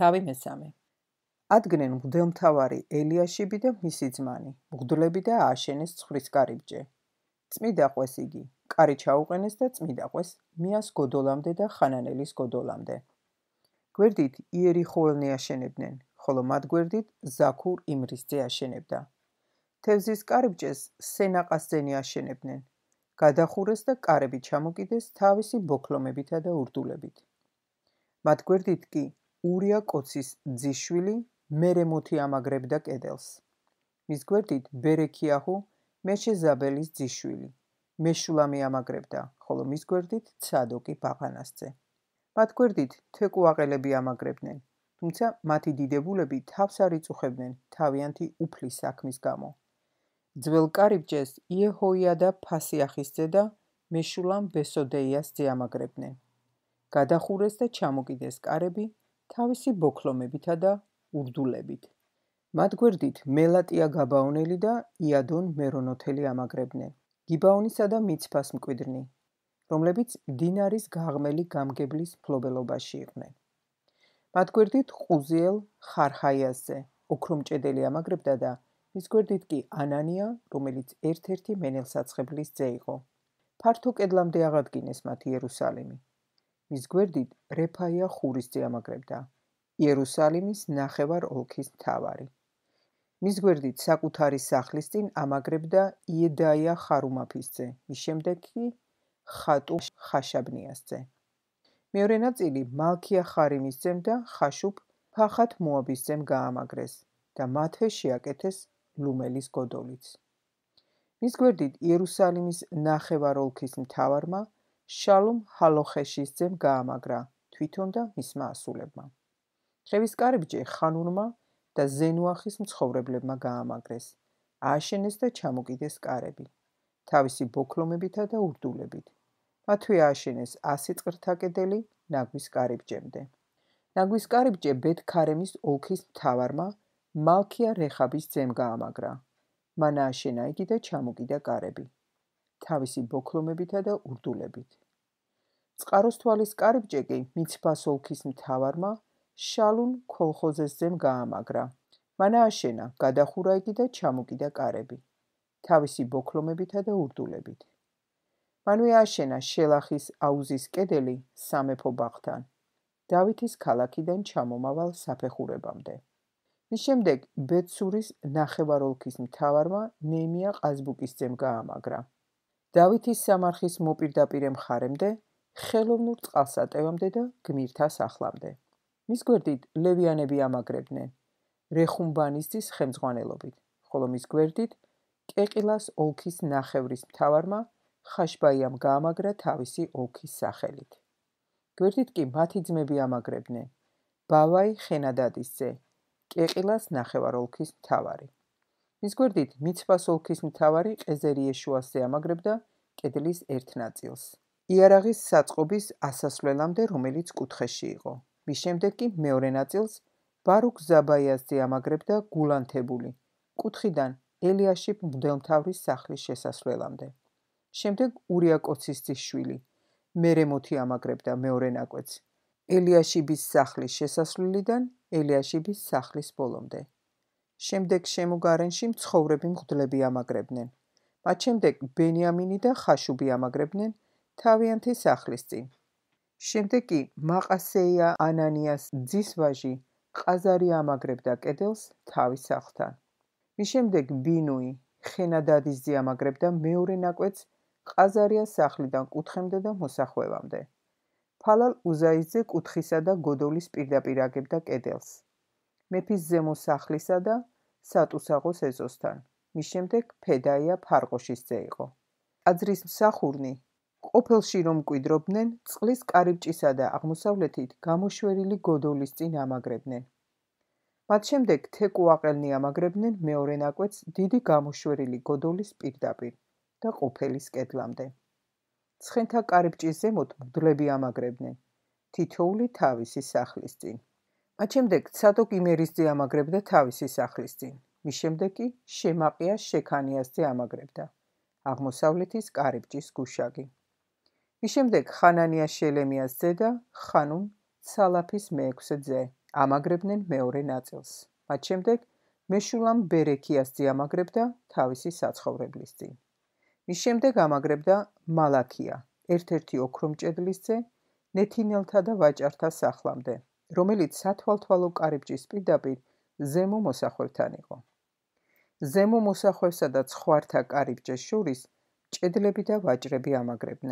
თავი მესამე. ადგნენ მღვდელმთავარი ელიაშიბი და მისი ძმანი, მღვდლები და ააშენეს ცხვრის კარიბჭე. წმიდა ყვეს იგი, კარი ჩაუყენეს და წმიდა ყვეს მიას გოდოლამდე და ხანანელის გოდოლამდე. გვერდით იერიხოელნი აშენებდნენ, ხოლო მათ გვერდით ზაქურ იმრისძე აშენებდა. თევზის კარიბჭეს სენაყასძენი აშენებდნენ. გადახურეს და კარები ჩამოკიდეს თავისი ბოქლომებითა და ურდულებით. მათ გვერდით კი ურია კოცის ძიშვილი მერემოთი ამაგრებდა კედელს. მის გვერდით ბერექიაჰუ მეშეზაბელის ძიშვილი მეშულამი ამაგრებდა, ხოლო მის გვერდით ცადოკი ბაღანასძე. მათ გვერდით თეკუაყელები ამაგრებდნენ, თუმცა მათი დიდებულები თავს არ იწუხებდნენ თავიანთი უფლის საქმის გამო. ძველ კარიბჭეს იეჰოიადა ფასიახისძე და მეშულამ ბესოდეიასძე ამაგრებდნენ. გადახურეს და ჩამოკიდეს კარები თავისი ბოქლომებითა და ურდულებით. მათ გვერდით მელატია გაბაონელი და იადონ მერონოთელი ამაგრებდნენ, გიბაონისა და მიცფას მკვიდრნი, რომლებიც დინარის გაღმელი გამგებლის მფლობელობაში იყვნენ. მათ გვერდით ყუზიელ ხარჰაიასძე ოქრომჭედელი ამაგრებდა და მის გვერდით კი ანანია, რომელიც ერთ-ერთი მენელსაცხებლის ძე იყო. ფართო კედლამდე აღადგინეს მათ იერუსალიმი. მის გვერდით რეფაია ხურისძე ამაგრებდა, იერუსალიმის ნახევარ ოლქის მთავარი. მის გვერდით საკუთარი სახლის წინ ამაგრებდა იედაია ხარუმაფისძე, მის შემდეგ კი ხატუ ხაშაბნიასძე. მეორე ნაწილი მალქია ხარიმისძემ და ხაშუბ ფახათ მოაბისძემ გაამაგრეს და მათვე შეაკეთეს ლუმელის გოდოლიც. მის გვერდით იერუსალიმის ნახევარ ოლქის მთავარმა შალუმ ჰალოხეშისძემ გაამაგრა თვითონ და მისმა ასულებმა. ხევის კარიბჭე ხანუნმა და ზენუახის მცხოვრებლებმა გაამაგრეს, ააშენეს და ჩამოკიდეს კარები, თავისი ბოქლომებითა და ურდულებით. მათვე ააშენეს 100 წყრთა კედელი ნაგვის კარიბჭემდე. ნაგვის კარიბჭე ბეთ-ქარემის ოლქის მთავარმა მალქია რეხაბის ძემ გაამაგრა. მან ააშენა იგი და ჩამოკიდა კარები, თავისი ბოქლომებითა და ურდულებით. წყაროსთვალის კარიბჭე კი მიცფას ოლქის მთავარმა შალუნ ქოლხოზეს ძემ გაამაგრა. მან ააშენა, გადახურა იგი და ჩამოკიდა კარები, თავისი ბოქლომებითა და ურდულებით. მანვე ააშენა შელახის აუზის კედელი სამეფო ბაღთან, დავითის ქალაქიდან ჩამომავალ საფეხურებამდე. მის შემდეგ ბეცურის ნახევარ ოლქის მთავარმა ნეემია ყაზბუკის ძემ გაამაგრა. დავითის სამარხის მოპირდაპირე მხარემდე, ხელოვნურ წყალსატევამდე და გმირთა სახლამდე. მის გვერდით ლევიანები ამაგრებდნენ, რეხუმბანისძის ხელმძღვანელობით, ხოლო მის გვერდით კეყილას ოლქის ნახევრის მთავარმა ხაშბაიამ გაამაგრა თავისი ოლქის სახელით. გვერდით კი მათი ძმები ამაგრებდნენ, ბავაი ხენადადის ძე, კეყილას ნახევარ ოლქის მთავარი. მის გვერდით მიცფას ოლქის მთავარი ყეზერი იეშუასძე ამაგრებდა კედლის ერთ ნაწილს, იარაღის საწყობის ასასვლელამდე, რომელიც კუთხეში იყო. მის შემდეგ კი მეორე ნაწილს ბარუქ ზაბაიასძე ამაგრებდა გულანთებული, კუთხიდან ელიაშიბ მღვდელმთავრის სახლის შესასვლელამდე. შემდეგ ურია კოცის ძიშვილი მერემოთი ამაგრებდა მეორე ნაკვეთს, ელიაშიბის სახლის შესასვლელიდან ელიაშიბის სახლის ბოლომდე. შემდეგ შემოგარენში მცხოვრები მღვდლები ამაგრებდნენ. მათ შემდეგ ბენიამინი და ხაშუბი ამაგრებდნენ თავიანთი სახლის წინ. შემდეგ კი მაყასეია ანანიას ძის ვაჟი ყაზარია ამაგრებდა კედელს თავის სახლთან. მის შემდეგ ბინუი ხენადადის ძე ამაგრებდა მეორე ნაკვეთს ყაზარიას სახლიდან კუთხემდე და მოსახვევამდე. ფალალ უზაისძე კუთხისა და გოდოლის პირდაპირ აგებდა კედელს, მეფის ზემო სახლისა და სატუსაღოს ეზოსთან. მის შემდეგ ფედაია ფარყოშის ძე იყო. ტაძრის მსახურნი ყოფილში რომ მკვიდრობდნენ, წყლის კარიბჭისა და აღმოსავლეთით გამოშვერილი გოდოლის წინ ამაგრებდნენ. მათ შემდეგ თეკუაყელნი ამაგრებდნენ მეორე ნაკვეთს დიდი გამოშვერილი გოდოლის პირდაპირ და ყოფილის კედლამდე. ცხენთა კარიბჭის ზემოთ მღვდლები ამაგრებდნენ, თითოეული თავისი სახლის წინ. მათ შემდეგ ცადოკ იმერისძე ამაგრებდა თავისი სახლის წინ. მის შემდეგ კი შემაყია შექანიასძე ამაგრებდა აღმოსავლეთის კარიბჭის გუშაგი. მის შემდეგ ხანანია შელემიას ძე და ხანუნ სალაფის მეექვსე ძე ამაგრებდნენ მეორე ნაწილს. მათ შემდეგ მეშულამ ბერექიას ძიამაგრებდა თავისი საცხოვრებლის წინ. მის შემდეგ ამაგრებდა მალაქია, ერთ-ერთი ოქრომჭედლის ძე, ნეთინელთა და ვაჭართა სახლამდე, რომელიც სათვალთვალო კარიბჭის პირდაპირ ზემო მოსახვევთან იყო. ზემო მოსახვევსა და ცხვართა კარიბჭეს შორის ჭედლები და ვაჭრები ამაგრებდნენ.